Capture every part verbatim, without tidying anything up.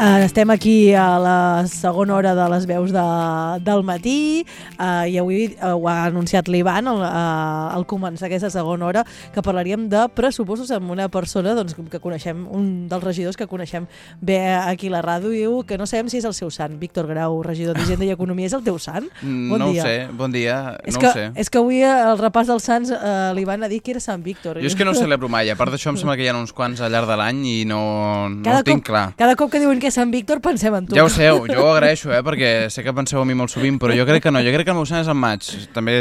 Uh, estem aquí a la segona hora de les veus de, del matí uh, i avui uh, ho ha anunciat l'Ivan al, uh, al començar aquesta segona hora, que parlaríem de pressupostos amb una persona doncs, que coneixem, un dels regidors que coneixem bé aquí a la ràdio, i diu que no sabem si és el seu sant. Víctor Grau, regidor d'Hisenda i Economia, és el teu sant? Bon no dia. ho sé, bon dia, és no que, ho sé. És que avui el repàs dels sants uh, l'Ivan ha dit que era Sant Víctor. Jo és que no ho celebro mai, a part d'això em sembla que hi ha uns quants al llarg de l'any i no, no ho tinc cop, clar. Cada cop que diuen que és Sant Víctor pensem en tu. Ja ho sé, jo ho agraeixo, eh, perquè sé que penseu a mi molt sovint, però jo crec que no, jo crec que el meu sant és en maig, també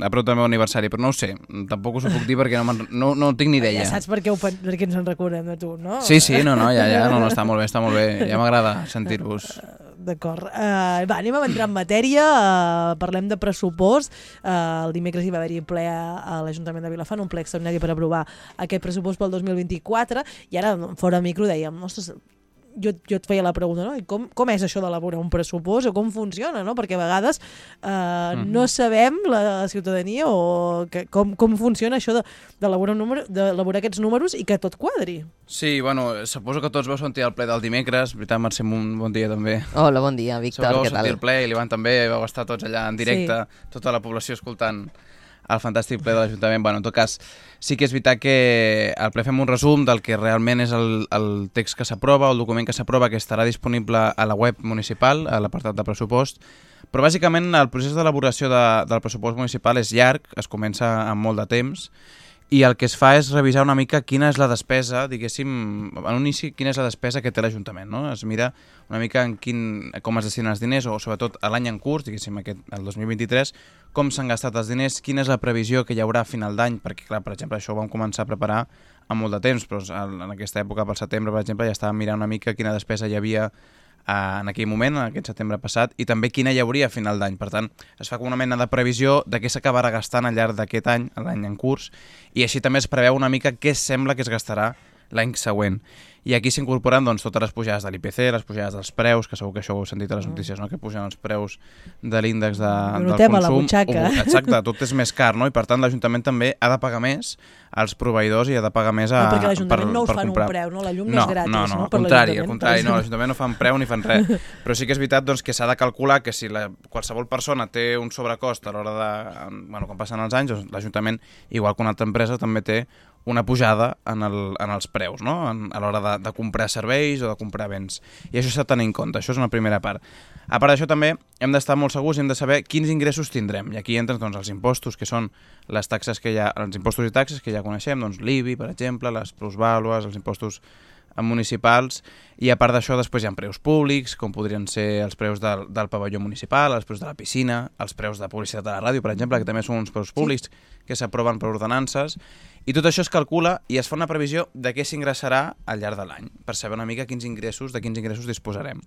a prop del meu aniversari, però no ho sé, tampoc us ho puc dir perquè no, no, no tinc ni idea. Ja saps per què, ho, per què ens en recordem de tu, no? Sí, sí, no, no, ja, ja, no, no, està molt bé, està molt bé, ja m'agrada sentir-vos. D'acord. Uh, va, anem a entrar en matèria, uh, parlem de pressupost. Uh, el dimecres hi va haver-hi ple a, a l'Ajuntament de Vilafant, un ple extraordinari per aprovar aquest pressupost pel dos mil vint-i-quatre, i ara fora micro dèiem, ostres, jo, jo et feia la pregunta, no? I com, com és això d'elaborar un pressupost o com funciona, no? Perquè a vegades uh, mm. no sabem, la ciutadania, o que, com, com funciona això d'elaborar de, d'elaborar aquests números i que tot quadri. Sí, bueno, suposo que tots vau sentir el ple del dimecres, veritat, Mercè, un bon dia també. Hola, bon dia, Víctor, Segur que què vau tal? sentir el ple i l'Ivan també, vau estar tots allà en directe, sí. Tota la població escoltant el fantàstic ple de l'Ajuntament. Bueno, en tot cas, sí que és veritat que al ple fem un resum del que realment és el, el text que s'aprova, el document que s'aprova, que estarà disponible a la web municipal, a l'apartat de pressupost, però bàsicament el procés d'elaboració de, del pressupost municipal és llarg, es comença amb molt de temps, i el que es fa és revisar una mica quina és la despesa, diguéssim, en un inici, quina és la despesa que té l'Ajuntament, no? Es mira una mica en quin, com es destinen els diners, o sobretot a l'any en curs, diguéssim, aquest, el dos mil vint-i-tres, com s'han gastat els diners, quina és la previsió que hi haurà a final d'any, perquè, clar, per exemple, això ho vam començar a preparar amb molt de temps, però en aquesta època, pel setembre, per exemple, ja estàvem mirant una mica quina despesa hi havia en aquell moment, en aquest setembre passat, i també quina hi hauria a final d'any. Per tant, es fa com una mena de previsió de què s'acabarà gastant al llarg d'aquest any, l'any en curs, i així també es preveu una mica què sembla que es gastarà l'any següent. I aquí s'incorporen doncs, totes les pujades de l'I P C, les pujades dels preus, que segur que això ho heu sentit a les notícies, no? Que pugen els preus de l'índex de, del consum. A la butxaca. O, exacte, tot és més car, no? I per tant l'Ajuntament també ha de pagar més als proveïdors i ha de pagar més a, no, perquè l'Ajuntament no us fan comprar. un preu, no? La llum no, no és gratis, no? No, no, al contrari, al contrari, no, l'Ajuntament no fan preu ni fan res. Però sí que és veritat doncs, que s'ha de calcular que si la, qualsevol persona té un sobrecost a l'hora de... Bueno, quan passen els anys, doncs, l'Ajuntament, igual que una altra empresa, també té una pujada en, el, en els preus, no? En, a l'hora de, de comprar serveis o de comprar béns. I això s'ha de tenir en compte, això és una primera part. A part d'això també hem d'estar molt segurs i hem de saber quins ingressos tindrem. I aquí entren doncs, els impostos, que són les taxes que hi ha, els impostos i taxes que ja coneixem, doncs l'I B I, per exemple, les plusvàlues, els impostos municipals, i a part d'això després hi ha preus públics, com podrien ser els preus del, del pavelló municipal, els preus de la piscina, els preus de publicitat de la ràdio, per exemple, que també són uns preus públics que s'aproven per ordenances, i tot això es calcula i es fa una previsió de què s'ingressarà al llarg de l'any, per saber una mica quins ingressos, de quins ingressos disposarem.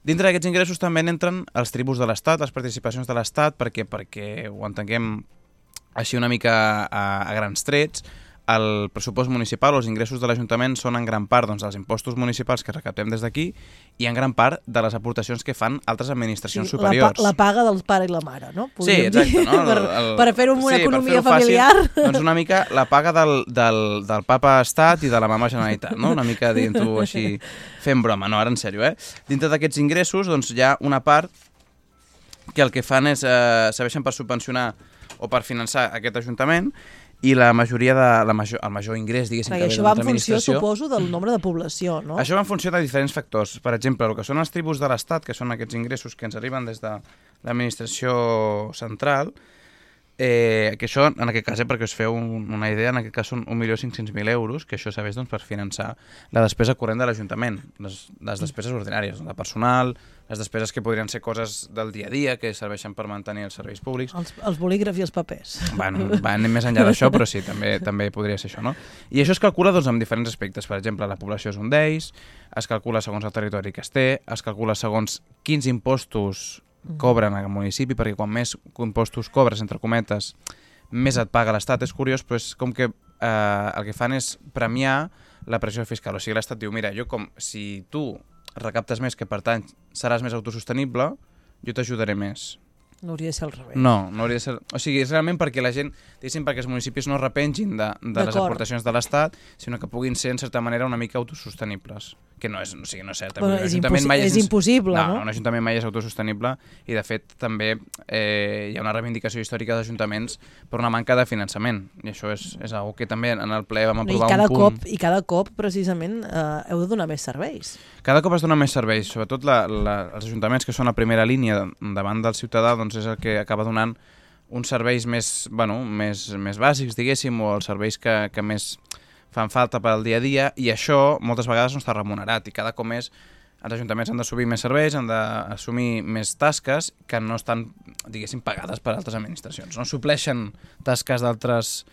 Dintre d'aquests ingressos també entren els tributs de l'Estat, les participacions de l'Estat, perquè, perquè ho entenguem així una mica a, a grans trets. El pressupost municipal o els ingressos de l'Ajuntament són en gran part doncs, dels impostos municipals que recaptem des d'aquí i en gran part de les aportacions que fan altres administracions sí, superiors. La, pa la paga del pare i la mare, no? Podríem sí, exacte. No? per, el, per fer-ho amb una sí, economia fer familiar. Fàcil, doncs una mica la paga del, del, del papa estat i de la mama Generalitat, no? Una mica dient-ho així fent broma, no, ara en sèrio, eh? Dintre d'aquests ingressos doncs, hi ha una part que el que fan és eh, serveixen per subvencionar o per finançar aquest Ajuntament, i la majoria de la major, el major ingrés, diguéssim, que ve de l'administració... Això va en funció, suposo, del nombre de població, no? Això va en funció de diferents factors. Per exemple, el que són els tributs de l'Estat, que són aquests ingressos que ens arriben des de l'administració central, eh, que això, en aquest cas, eh, perquè us feu un, una idea, en aquest cas són un milió cinc-cents mil euros, que això serveix doncs, per finançar la despesa corrent de l'Ajuntament, les, les despeses ordinàries, de personal, les despeses que podrien ser coses del dia a dia, que serveixen per mantenir els serveis públics. Els, els bolígrafs i els papers. Bueno, va, anem més enllà d'això, però sí, també també podria ser això, no? I això es calcula doncs, amb diferents aspectes. Per exemple, la població és un d'ells, es calcula segons el territori que es té, es calcula segons quins impostos cobren al municipi, perquè quan més impostos cobres, entre cometes, més et paga l'Estat. És curiós, però és com que eh, el que fan és premiar la pressió fiscal. O sigui, l'Estat diu, mira, jo com si tu recaptes més, que per tant seràs més autosostenible, jo t'ajudaré més. No hauria de ser al revés. No, no hauria de ser... O sigui, és realment perquè la gent, diguéssim, perquè els municipis no es repengin de, de les aportacions de l'Estat, sinó que puguin ser, en certa manera, una mica autosostenibles. Que no és, o sigui, no és cert. Però és, impossi mai és, és impossible, no? No, un ajuntament mai és autosostenible i, de fet, també eh, hi ha una reivindicació històrica dels ajuntaments per una manca de finançament. I això és, és una cosa que també en el ple vam aprovar I cada un punt... Cop, I cada cop, precisament, eh, heu de donar més serveis. Cada cop es dona més serveis, sobretot la, la, els ajuntaments que són a primera línia davant del ciutadà, doncs és el que acaba donant uns serveis més, bueno, més, més bàsics, diguéssim, o els serveis que, que més fan falta per al dia a dia, i això moltes vegades no està remunerat, i cada cop més els ajuntaments han d'assumir més serveis, han d'assumir més tasques que no estan, diguéssim, pagades per altres administracions. No supleixen tasques d'altres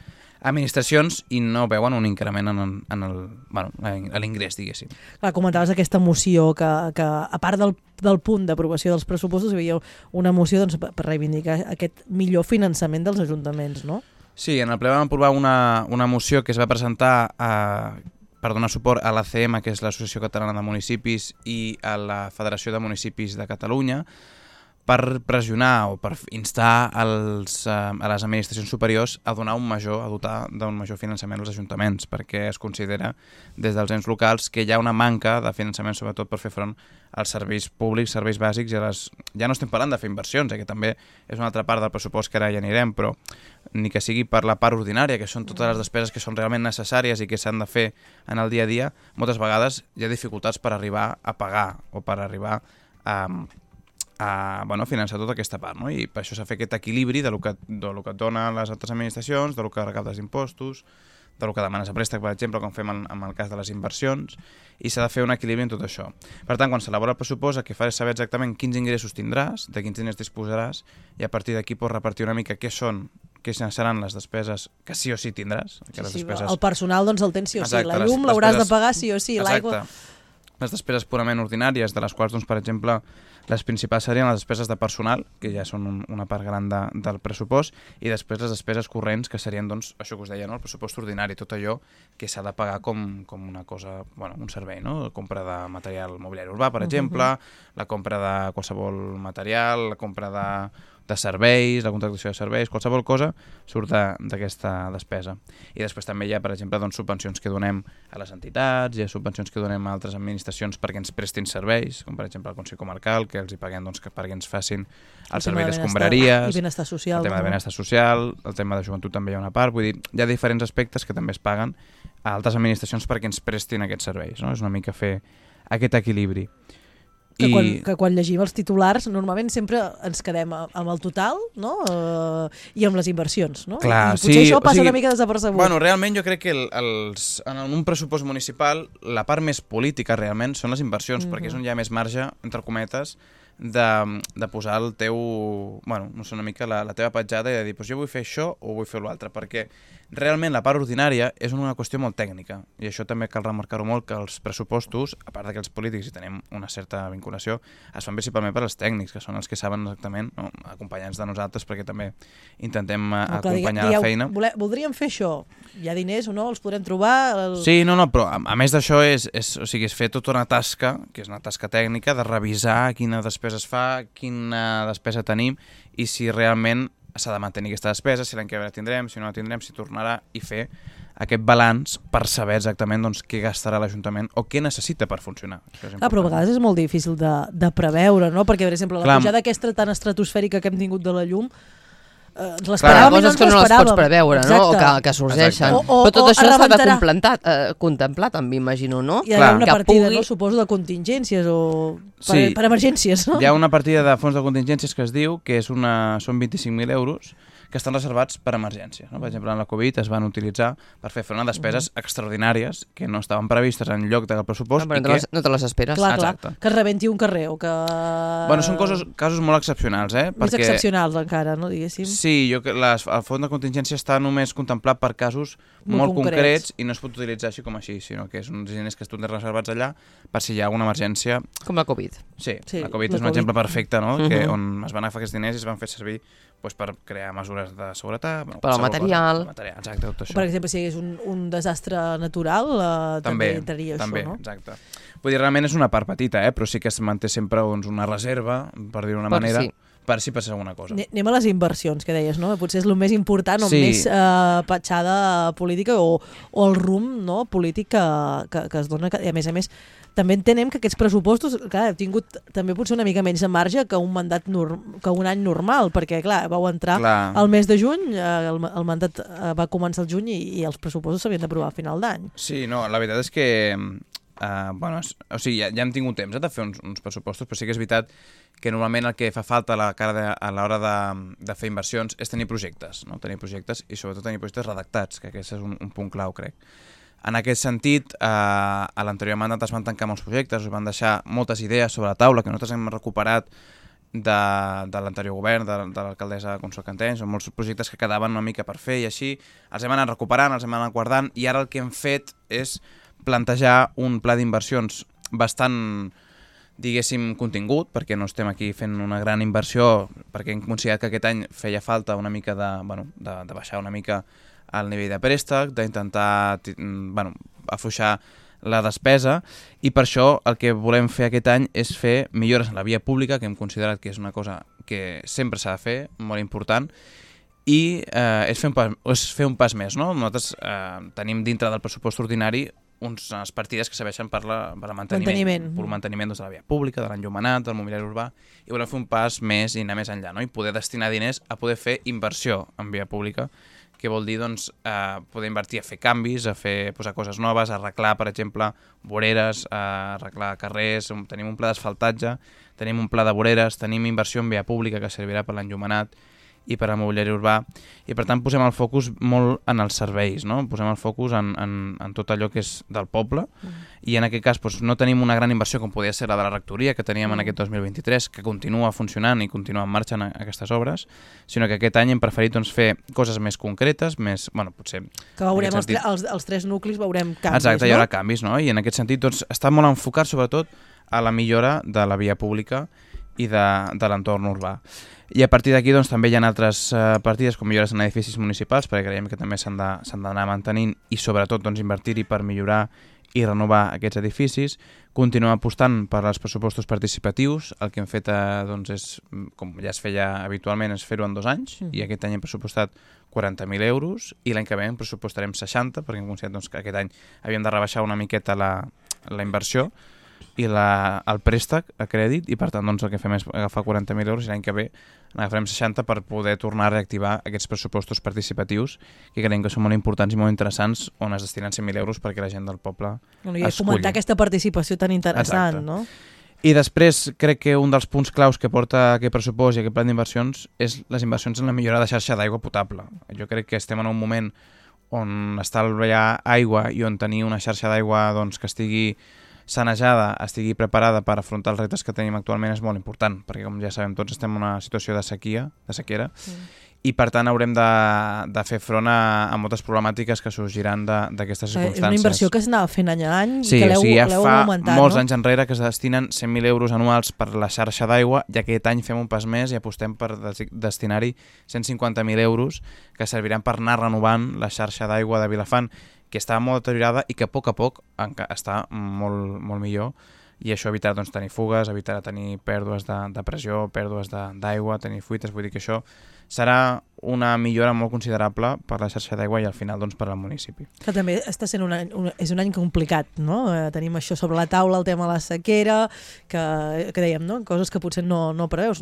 administracions i no veuen un increment en, en el, bueno, a l'ingrés, diguéssim. Clar, comentaves aquesta moció que, que a part del, del punt d'aprovació dels pressupostos hi havia una moció doncs, per reivindicar aquest millor finançament dels ajuntaments, no? Sí, en el ple vam aprovar una, una moció que es va presentar a, per donar suport a l'A C M, que és l'Associació Catalana de Municipis, i a la Federació de Municipis de Catalunya, per pressionar o per instar els, a les administracions superiors a donar un major, a dotar d'un major finançament als ajuntaments, perquè es considera des dels ens locals que hi ha una manca de finançament, sobretot per fer front als serveis públics, serveis bàsics, i a les... ja no estem parlant de fer inversions, eh, que també és una altra part del pressupost que ara ja anirem, però ni que sigui per la part ordinària, que són totes les despeses que són realment necessàries i que s'han de fer en el dia a dia, moltes vegades hi ha dificultats per arribar a pagar o per arribar a... a bueno, finançar tota aquesta part, no? I per això s'ha fet aquest equilibri de lo que, de lo que et donen les altres administracions, de lo que recaptes d'impostos, de lo que demanes a préstec, per exemple, com fem en, en el cas de les inversions, i s'ha de fer un equilibri en tot això. Per tant, quan s'elabora el pressupost, el que fa és saber exactament quins ingressos tindràs, de quins diners disposaràs, i a partir d'aquí pots repartir una mica què són, què seran les despeses que sí o sí tindràs. Que sí, les sí, despeses... El personal doncs el tens sí o sí, exacte, la llum l'hauràs de pagar sí o sí, l'aigua... Les despeses purament ordinàries, de les quals, doncs, per exemple, les principals serien les despeses de personal, que ja són un, una part gran de, del pressupost, i després les despeses corrents, que serien, doncs, això que us deia, no? El pressupost ordinari, tot allò que s'ha de pagar com, com una cosa, bueno, un servei, no? La compra de material mobiliari urbà, per exemple, uh-huh. la compra de qualsevol material, la compra de... de serveis, la contractació de serveis, qualsevol cosa surt d'aquesta despesa. I després també hi ha, per exemple, doncs, subvencions que donem a les entitats, hi ha subvencions que donem a altres administracions perquè ens prestin serveis, com per exemple el Consell Comarcal, que els hi paguem doncs, que perquè ens facin el, el servei d'escombraries, el benestar social, el tema de benestar social, el tema de joventut també hi ha una part, vull dir, hi ha diferents aspectes que també es paguen a altres administracions perquè ens prestin aquests serveis, no? És una mica fer aquest equilibri. Que, I... quan, que quan llegim els titulars normalment sempre ens quedem amb el total, no? Uh, i amb les inversions, no? Clar, I potser sí, això passa o sigui, una mica desapercebut. Bueno, realment jo crec que el, els, en un pressupost municipal la part més política realment són les inversions, mm-hmm. perquè és on hi ha més marge, entre cometes, de, de posar el teu, bueno, no sé, una mica la, la teva petjada i de dir, pues jo vull fer això o vull fer l'altre, perquè realment la part ordinària és una qüestió molt tècnica, i això també cal remarcar-ho molt, que els pressupostos, a part que els polítics hi tenim una certa vinculació, es fan principalment per als tècnics, que són els que saben exactament, no, acompanyants de nosaltres, perquè també intentem no, clar, acompanyar digue, la feina. Vole, voldríem fer això, hi ha diners o no, els podrem trobar? El... Sí, no, no, però a, a més d'això és, és, o sigui, és fer tota una tasca, que és una tasca tècnica, de revisar quina despesa es fa, quina despesa tenim, i si realment s'ha de mantenir aquesta despesa, si l'any que ve la tindrem, si no la tindrem, si tornarà, i fer aquest balanç per saber exactament doncs, què gastarà l'Ajuntament o què necessita per funcionar. Ah, però a vegades és molt difícil de, de preveure, no? Perquè, per exemple, la Clar, pujada aquesta tan estratosfèrica que hem tingut de la llum, eh, ens l'esperàvem i no ens que no les pots preveure, Exacte. no? O que, que sorgeixen. O, o, però tot això s'ha de contemplar, eh, contemplar també, imagino, no? Hi ha Clar. una partida, pugui... no? Suposo, de contingències o per, sí. per emergències, no? Hi ha una partida de fons de contingències que es diu que és una, són vint-i-cinc mil euros que estan reservats per emergències. No? Per exemple, en la Covid es van utilitzar per fer front a despeses uh-huh. extraordinàries que no estaven previstes en lloc del pressupost. No, però i no, que... les, no te les esperes. Clar, clar, que es rebenti un carrer o que... Bueno, són coses, casos molt excepcionals, eh? Més perquè... excepcionals encara, no, diguéssim. Sí, jo, les, el fons de contingència està només contemplat per casos molt, molt concrets. concrets i no es pot utilitzar així com així, sinó que és uns diners que es tenen reservats allà per si hi ha alguna emergència. Com la Covid. Sí, sí la Covid la és un COVID. exemple perfecte, no? Uh-huh. Que on es van agafar aquests diners i es van fer servir pues, per crear mesures de seguretat. Bueno, per al material. Cosa, material. Exacte, tot això. Per exemple, si hi hagués un, un desastre natural, eh, també, també entraria també, això, no? Exacte. Vull dir, realment és una part petita, eh? Però sí que es manté sempre doncs, una reserva, per dir-ho d'una manera, sí. per si passés alguna cosa. Anem a les inversions, que deies, no? Potser és el més important o sí. més eh, petjada política o, o el rumb, no? polític que, que, que es dona. I a més a més, també entenem que aquests pressupostos, clar, heu tingut també potser una mica menys de marge que un mandat que un any normal, perquè, clar, vau entrar clar. al mes de juny, eh, el, el mandat eh, va començar el juny i, i els pressupostos s'havien d'aprovar a final d'any. Sí, no, la veritat és que Uh, bueno, o sigui, ja, ja hem tingut temps eh, de fer uns, uns pressupostos, però sí que és veritat que normalment el que fa falta a la cara de, a l'hora de, de fer inversions és tenir projectes, no? Tenir projectes i sobretot tenir projectes redactats, que aquest és un, un punt clau, crec. En aquest sentit, eh, a l'anterior mandat es van tancar molts projectes, es van deixar moltes idees sobre la taula que nosaltres hem recuperat de, de l'anterior govern, de, de l'alcaldessa Consol Canteny, són molts projectes que quedaven una mica per fer i així els hem anat recuperant, els hem anat guardant i ara el que hem fet és plantejar un pla d'inversions bastant, diguéssim, contingut, perquè no estem aquí fent una gran inversió, perquè hem considerat que aquest any feia falta una mica de, bueno, de, de baixar una mica el nivell de préstec, d'intentar bueno, afluixar la despesa, i per això el que volem fer aquest any és fer millores en la via pública, que hem considerat que és una cosa que sempre s'ha de fer, molt important, i eh, és, fer un pas, és fer un pas més. No? Nosaltres eh, tenim dintre del pressupost ordinari unes partides que serveixen per, la, per el manteniment, manteniment. per el manteniment doncs, de la via pública, de l'enllumenat, del mobiliari urbà, i volem fer un pas més i anar més enllà, no? I poder destinar diners a poder fer inversió en via pública, que vol dir doncs, eh, poder invertir a fer canvis, a fer posar coses noves, a arreglar, per exemple, voreres, a arreglar carrers, tenim un pla d'asfaltatge, tenim un pla de voreres, tenim inversió en via pública que servirà per l'enllumenat i per al mobiliari urbà, i per tant posem el focus molt en els serveis, no? Posem el focus en, en, en tot allò que és del poble, mm. i en aquest cas doncs, no tenim una gran inversió com podia ser la de la rectoria que teníem mm. en aquest dos mil vint-i-tres, que continua funcionant i continua en marxa en aquestes obres, sinó que aquest any hem preferit doncs, fer coses més concretes, més, bueno, potser... Que veurem els, sentit... els, els tres nuclis, veurem canvis, Exacte, no? hi haurà canvis, no? I en aquest sentit doncs, està molt enfocat sobretot a la millora de la via pública i de, de l'entorn urbà. I a partir d'aquí doncs, també hi ha altres uh, partides com millores en edificis municipals, perquè creiem que també s'han d'anar mantenint i sobretot doncs, invertir-hi per millorar i renovar aquests edificis. Continuem apostant per als pressupostos participatius. El que hem fet eh, doncs, és, com ja es feia habitualment, és fer-ho en dos anys, mm. i aquest any hem pressupostat quaranta mil euros i l'any que ve en pressupostarem seixanta, perquè hem considerat doncs, que aquest any havíem de rebaixar una miqueta la, la inversió i la, el préstec a crèdit, i per tant doncs, el que fem és agafar quaranta mil euros i l'any que ve n'agafarem seixanta per poder tornar a reactivar aquests pressupostos participatius que creiem que són molt importants i molt interessants, on es destinen cent mil euros perquè la gent del poble bueno, i esculli. Fomentar aquesta participació tan interessant. Exacte. No? I després crec que un dels punts claus que porta aquest pressupost i aquest pla d'inversions és les inversions en la millora de xarxa d'aigua potable. Jo crec que estem en un moment on estalviar aigua i on tenir una xarxa d'aigua doncs, que estigui sanejada, estigui preparada per afrontar els reptes que tenim actualment és molt important, perquè com ja sabem tots estem en una situació de sequia, de sequera, mm. i per tant haurem de, de fer front a, a moltes problemàtiques que sorgiran d'aquestes circumstàncies. És una inversió que s'anava fent any a any sí, i que l'heu o sigui, ja fa augmentat, molts no? anys enrere que es destinen cent mil euros anuals per la xarxa d'aigua, i aquest any fem un pas més i apostem per destinar-hi cent cinquanta mil euros que serviran per anar renovant la xarxa d'aigua de Vilafant, que està molt deteriorada i que a poc a poc està molt, molt millor, i això evitarà doncs, tenir fugues, evitarà tenir pèrdues de, de pressió, pèrdues d'aigua, tenir fuites, vull dir que això serà una millora molt considerable per la xarxa d'aigua i al final doncs, per al municipi. Que també està sent un any, un, és un any complicat, no? Eh, tenim això sobre la taula, el tema de la sequera, que, que dèiem, no? Coses que potser no, no preveus.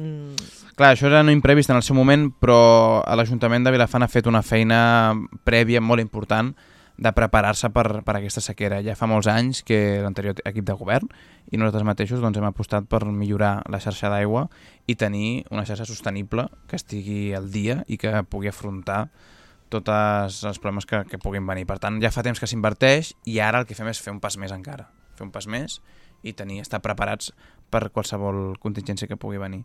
Clar, això era no imprevist en el seu moment, però l'Ajuntament de Vilafant ha fet una feina prèvia molt important de preparar-se per, per aquesta sequera. Ja fa molts anys que l'anterior equip de govern i nosaltres mateixos doncs, hem apostat per millorar la xarxa d'aigua i tenir una xarxa sostenible que estigui al dia i que pugui afrontar tots els problemes que, que puguin venir. Per tant, ja fa temps que s'inverteix i ara el que fem és fer un pas més encara. Fer un pas més i tenir, estar preparats per qualsevol contingència que pugui venir.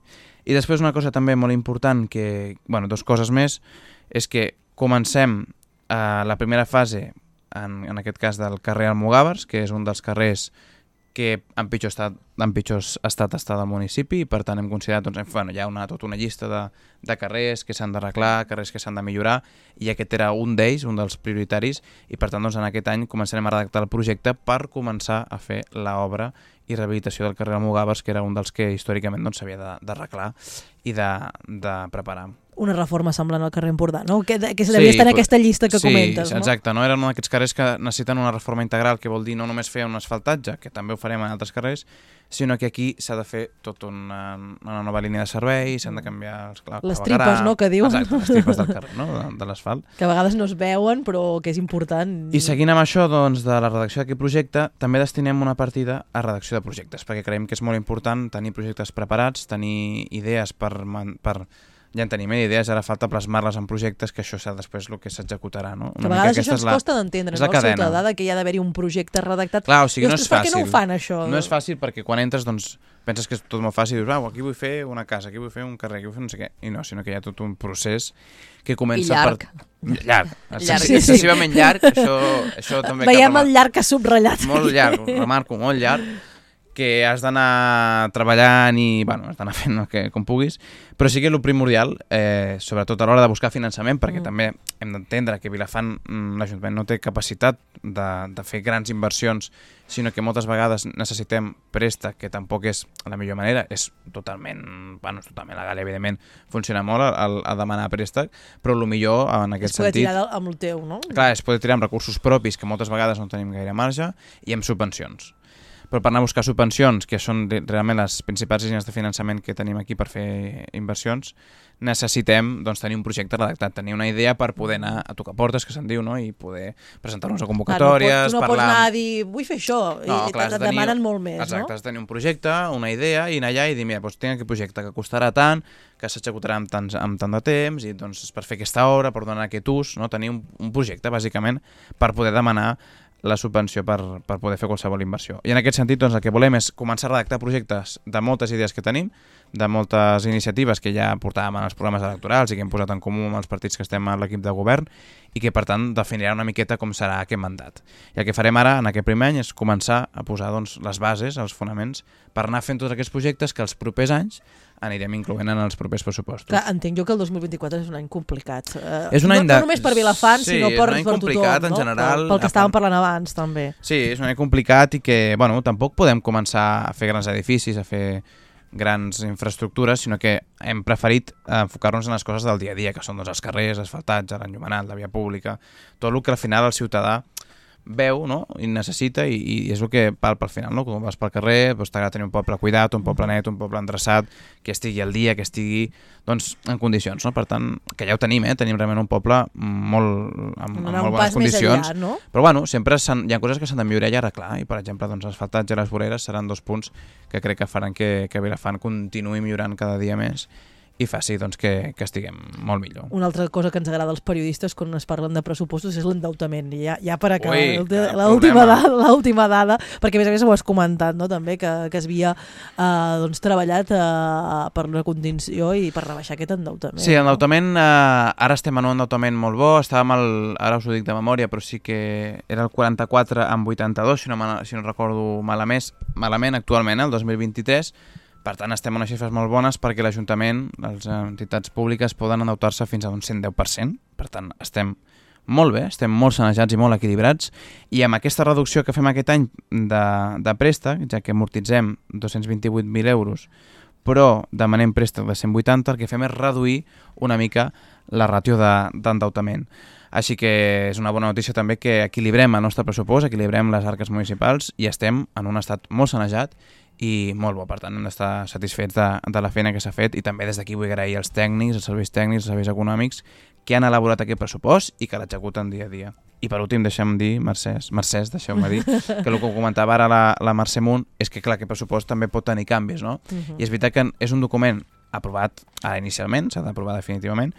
I després una cosa també molt important, que, bueno, dues coses més, és que comencem Uh, la primera fase, en, en aquest cas del carrer Almogàvers, que és un dels carrers que en pitjor estat en pitjor estat està del municipi i per tant hem considerat, doncs, bueno, hi ha una, tota una llista de, de carrers que s'han d'arreglar, carrers que s'han de millorar i aquest era un d'ells, un dels prioritaris i per tant doncs, en aquest any començarem a redactar el projecte per començar a fer l'obra i rehabilitació del carrer Almogàvers, que era un dels que històricament doncs, s'havia doncs, d'arreglar i de, de preparar. Una reforma semblant al carrer Empordà, no? Que, que se devia sí, estar en aquesta llista que sí, comentes, no? Sí, exacte. No? Eren un d'aquests carrers que necessiten una reforma integral, que vol dir no només fer un asfaltatge, que també ho farem en altres carrers, sinó que aquí s'ha de fer tota una, una nova línia de servei, s'han de canviar els claveguerar. Les tripes, no?, que diuen. Exacte, les tripes del carrer, no?, de, de l'asfalt. Que a vegades no es veuen, però que és important. I seguint amb això, doncs, de la redacció d'aquest projecte, també destinem una partida a redacció de projectes, perquè creiem que és molt important tenir projectes preparats, tenir idees per... per ja en tenim idees, ara falta plasmar-les en projectes, que això serà després el que s'executarà, no? Que a vegades això ens costa d'entendre, no? El ciutadà, que hi ha d'haver-hi un projecte redactat. Clar, o sigui, no és fàcil. Per què no ho fan, això? No és fàcil perquè quan entres, doncs, penses que és tot molt fàcil, dius, ah, aquí vull fer una casa, aquí vull fer un carrer, aquí vull fer no sé què, i no, sinó que hi ha tot un procés que comença llarg. per... Llarg. Llarg. Sí, excessivament llarg, això, això també... Veiem el llarg que ha subratllat. Molt llarg, remarco, molt llarg, que has d'anar treballant i, bueno, has d'anar fent el que, com puguis, però sí que el primordial, eh, sobretot a l'hora de buscar finançament, perquè mm. també hem d'entendre que Vilafant, l'Ajuntament no té capacitat de, de fer grans inversions, sinó que moltes vegades necessitem préstec, que tampoc és la millor manera, és totalment, bueno, és totalment legal, evidentment, funciona molt a, a demanar préstec, però el millor en aquest sentit... Es sentit... poder tirar amb el teu, no? Clar, es poder tirar amb recursos propis, que moltes vegades no tenim gaire marge, i amb subvencions. Però per anar a buscar subvencions, que són realment les principals línies de finançament que tenim aquí per fer inversions, necessitem doncs, tenir un projecte redactat, tenir una idea per poder anar a tocar portes, que se'n diu, no? I poder presentar-nos a convocatòries, clar, no pot, tu no parlar... pots anar a dir, vull fer això, no, i clar, et demanen molt més, exacte, no? Exacte, has de tenir un projecte, una idea, i anar allà i dir, mira, doncs tinc aquest projecte que costarà tant, que s'executarà amb, tant, amb tant de temps, i doncs per fer aquesta obra, per donar aquest ús, no? Tenir un, un projecte, bàsicament, per poder demanar la subvenció per, per poder fer qualsevol inversió. I en aquest sentit, doncs, el que volem és començar a redactar projectes de moltes idees que tenim, de moltes iniciatives que ja portàvem en els programes electorals i que hem posat en comú amb els partits que estem a l'equip de govern i que, per tant, definirà una miqueta com serà aquest mandat. I el que farem ara, en aquest primer any, és començar a posar doncs, les bases, els fonaments, per anar fent tots aquests projectes que els propers anys anirem incloent en els propers pressupostos. Clar, entenc jo que el dos mil vint-i-quatre és un any complicat. Uh, és un any no, de... no només per Vilafant, sí, sinó per, per tothom. complicat, no? En general, pel, pel que estàvem parlant abans, també. Sí, és un any complicat i que, bueno, tampoc podem començar a fer grans edificis, a fer grans infraestructures, sinó que hem preferit enfocar-nos en les coses del dia a dia, que són doncs, els carrers, asfaltats, l'enllumenat, la via pública, tot el que al final el ciutadà veu, no? I necessita, i, i és el que palpa al final, no? Quan vas pel carrer, doncs t'agrada tenir un poble cuidat, un poble net, un poble endreçat, que estigui al dia, que estigui doncs, en condicions, no? Per tant, que ja ho tenim, eh? Tenim realment un poble molt, amb, amb molt bones condicions, enllà, no? Però bueno, sempre hi ha coses que s'han de millorar i arreglar, i per exemple, doncs, l'asfaltatge i les voreres seran dos punts que crec que faran que, que Vilafant continuï millorant cada dia més i faci doncs, que, que estiguem molt millor. Una altra cosa que ens agrada als periodistes quan es parlen de pressupostos és l'endeutament. Ja, ja per acabar, Ui, l'última dada, l'última dada, perquè a més a més ho has comentat, no? També que, que es havia eh, doncs, treballat eh, per la condició i per rebaixar aquest endeutament. Sí, l'endeutament, eh, ara estem en un endeutament molt bo, estàvem al, ara us ho dic de memòria, però sí que era el quaranta-quatre amb vuitanta-dos, si no, si no recordo malament, malament actualment, el dos mil vint-i-tres. Per tant, estem en unes xifres molt bones perquè l'Ajuntament, les entitats públiques, poden endeutar-se fins a un cent deu per cent. Per tant, estem molt bé, estem molt sanejats i molt equilibrats, i amb aquesta reducció que fem aquest any de, de préstec, ja que amortitzem dos-cents vint-i-vuit mil euros, però demanem préstec de cent vuitanta, el que fem és reduir una mica la ràtio d'endeutament. Així que és una bona notícia també que equilibrem el nostre pressupost, equilibrem les arques municipals i estem en un estat molt sanejat i molt bo. Per tant, hem d'estar satisfets de, de la feina que s'ha fet, i també des d'aquí vull agrair als tècnics, als serveis tècnics, als serveis econòmics que han elaborat aquest pressupost i que l'executen dia a dia. I per últim, deixem dir, Mercès, Mercès deixeu-me dir, que el que comentava ara la, la Mercè Munt és que, clar, aquest pressupost també pot tenir canvis, no? Uh-huh. I és veritat que és un document aprovat ara inicialment, s'ha d'aprovar definitivament,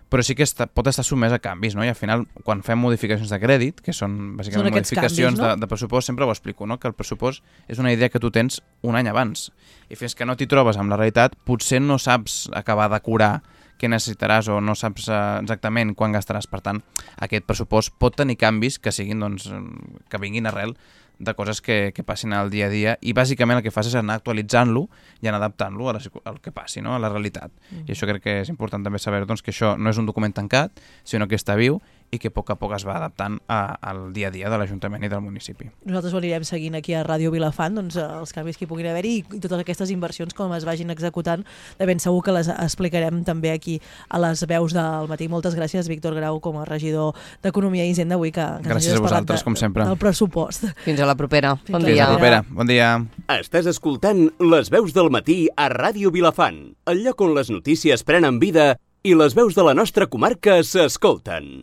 però sí que està, pot estar sotmès a canvis, no? I al final, quan fem modificacions de crèdit, que són bàsicament són modificacions canvis, no? de, de pressupost, sempre ho explico, no? Que el pressupost és una idea que tu tens un any abans, i fins que no t'hi trobes amb la realitat, potser no saps acabar de curar què necessitaràs o no saps exactament quan gastaràs. Per tant, aquest pressupost pot tenir canvis que siguin, doncs, que vinguin arrel de coses que, que passin al dia a dia, i bàsicament el que fas és anar actualitzant-lo i anar adaptant-lo al que passi, no? A la realitat. Mm. I això crec que és important també saber, doncs, que això no és un document tancat, sinó que està viu i que a poc a poc es va adaptant a, al dia a dia de l'Ajuntament i del municipi. Nosaltres ho anirem seguint aquí a Ràdio Vilafant, doncs, els canvis que hi puguin haver-hi i totes aquestes inversions com es vagin executant, de ben segur que les explicarem també aquí a les veus del matí. Moltes gràcies, Víctor Grau, com a regidor d'Economia i Hisenda, avui que, que gràcies a vosaltres, de, com sempre. del pressupost. Fins a la propera. Bon dia. Fins a la propera. Bon dia. Estàs escoltant Les veus del matí a Ràdio Vilafant, el lloc on les notícies prenen vida i les veus de la nostra comarca s'escolten.